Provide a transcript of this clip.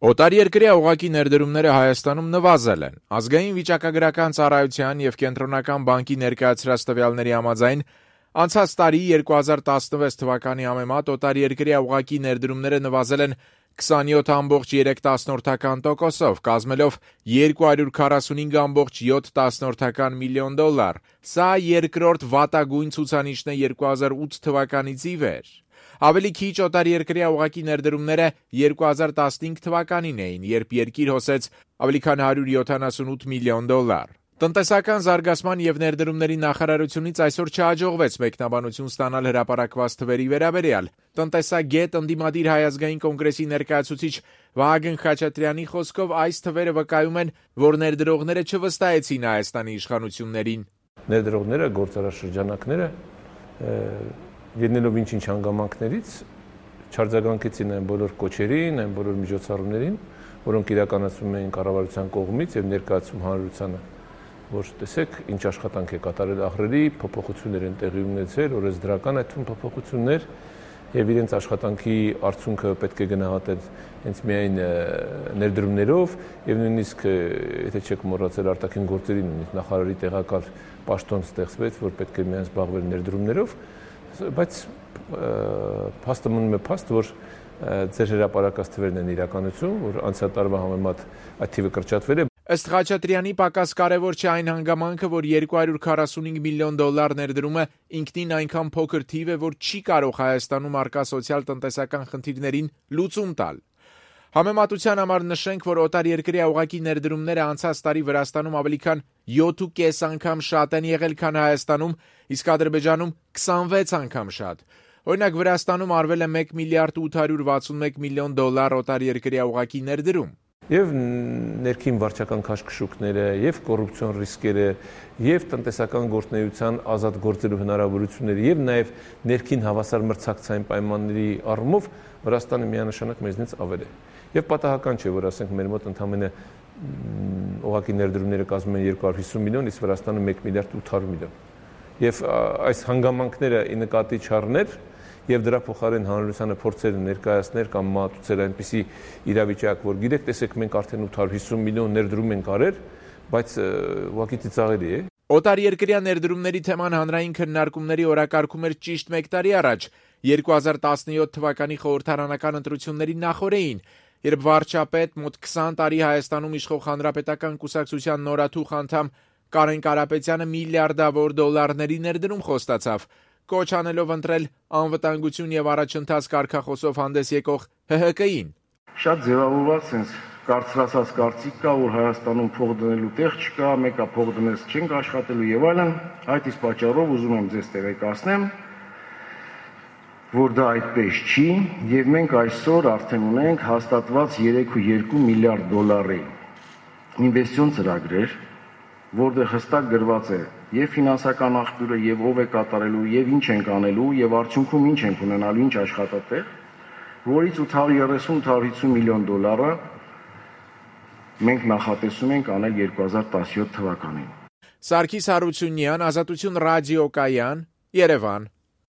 Օտարերկրյա ուղղակի ներդրումները Հայաստանում նվազել են։ Ազգային վիճակագրական ծառայության եւ Կենտրոնական բանկի ներկայացրած տվյալների համաձայն անցած տարի 2016 թվականի համեմատ օտարերկրյա ուղղակի ներդրումները նվազել են 27.3%, կազմելով $245.7 միլիոն։ Սա երկրորդ վատագույն ցուցանիշն է 2008 թվականից ի վեր։ Ավելի քիչ օտարերկրյա ուղղակի ներդրումները 2015 թվականին էին, երբ երկիր հոսեց ավելի քան $178 միլիոն։ Տնտեսական զարգացման եւ ներդրումների նախարարությունից այսօր չհաջողվեց մեկնաբանություն ստանալ հրապարակված թվերի վերաբերյալ։ Տնտեսագետ, ընդդիմադիր Հայ ազգային կոնգրեսի ներկայացուցիչ Վահագն Խաչատրյանի խոսքով այս թվերը վկայում են, որ ներդրողները չվստահեցին Հայաստանի իշխանություններին։ Ներդրողները, գործարարշրջանակները ելնելով ինչ-ինչ հանգամանքներից չարձագանքեցին այն բոլոր կոչերին, այն բոլոր միջոցառումներին, որոնք իրականացվում էին կառավարության կողմից եւ ներկայացում հանրությանը, որ տեսեք ինչ աշխատանք է կատարել ահռելի փոփոխություններ են տեղի ունեցել, օրենսդրական այդ փոփոխություններ եւ իրենց աշխատանքի արդյունքը պետք է գնահատել հենց միայն ներդրումներով եւ նույնիսկ եթե չեք մոռացել արտաքին գործերի նույնիսկ նախարարի տեղակալ պաշտոն ստեղծվեց, որ պետք է միայն զբաղվել ներդրումներով, բայց փաստը մնում է փաստ, որ ձեր հրապարակած թվերն են իրականություն, որ անցյալ տարվա համեմատ այդ թիվը կրճատվել է։ Ըստ Խաչատրյանի պակաս կարևոր չէ այն հանգամանքը, որ $245 միլիոն ներդրումը ինքնին այնքան փոքր թիվ է, որ չի կարող Հայաստանում առկա սոցիալ-տնտեսական խնդիրներին լուծում տալ։ Համեմատության համար նշենք, որ օտարերկրյա ուղղակի ներդրումները անցած տարի Վրաստանում ավելի քան 7.5 անգամ շատ են եղել, քան Հայաստանում, իսկ Ադրբեջանում 26 անգամ շատ։ Օրինակ Վրաստանում արվել է $1.861 միլիոն օտարերկրյա ուղղակի ներդրում։ Եվ ներքին վարչական քաշքշուկները, եւ կոռուպցիոն ռիսկերը, եւ տնտեսական գործունեության ազատ գործելու հնարավորությունները, եւ նաեւ ներքին հավասար մրցակցային պայմանների առումով Վրաստանը միանշանակ մեզնից ավել է։ Եվ պատահական չէ, որ ասենք մեր մոտ ընդամենը ուղղակի ներդրումները կազմում են 250 միլիոն, իսկ Վրաստանը 1.8 միլիոն։ Եվ այս հանգամանքները ի նկատի չառնել եւ դրա փոխարեն հանրությանը փորձել ներկայացնել կամ մատուցել այնպիսի իրավիճակ, որ գիտեք, տեսեք, մենք արդեն 850 միլիոն ներդրում ենք արել, բայց ուղղակի ծիծաղելի է։ Օտարերկրյա ներդրումների թեման հանրային քննարկումների օրակարգում էր ճիշտ 1 տարի առաջ, 2017 թվականի խորհրդարանական ընտրությունների նախօրեին, երբ վարչապետ մոտ 20 տարի Հայաստանում իշխող Հանրապետական կուսակցության նորաթուխ անդամ Կարեն Կարապետյանը միլիարդավոր դոլարների ներդրում խոստացավ, կոչ անելով ընտրել անվտանգություն եւ առաջընթաց կարգախոսով հանդես եկող ՀՀԿ-ին։ Շատ ձևավորված sense կարծրացած կարծիք կա, որ Հայաստանում փող դնելու տեղ չկա, մեկը փող դնես չենք աշխատելու եւ այլն, այդ իսկ պատճառով ուզում եմ ձեզ տեղեկացնեմ, որ դա այդպես չի եւ մենք այսօր արդեն ունենք հաստատված 3.2 միլիարդ դոլարի ինվեստիցիոն ծրագրեր, որտեղ հստակ գրված է եւ ֆինանսական աղբյուրը եւ ով է կատարելու եւ ինչ ենք անելու եւ արդյունքում ինչ ենք ունենալու, ինչ աշխատատեղ, որից 830-850 միլիոն դոլարը մենք նախատեսում ենք անել 2017 թվականին։ Սարգիս Հարությունյան, Ազատություն ռադիոկայան, Երևան։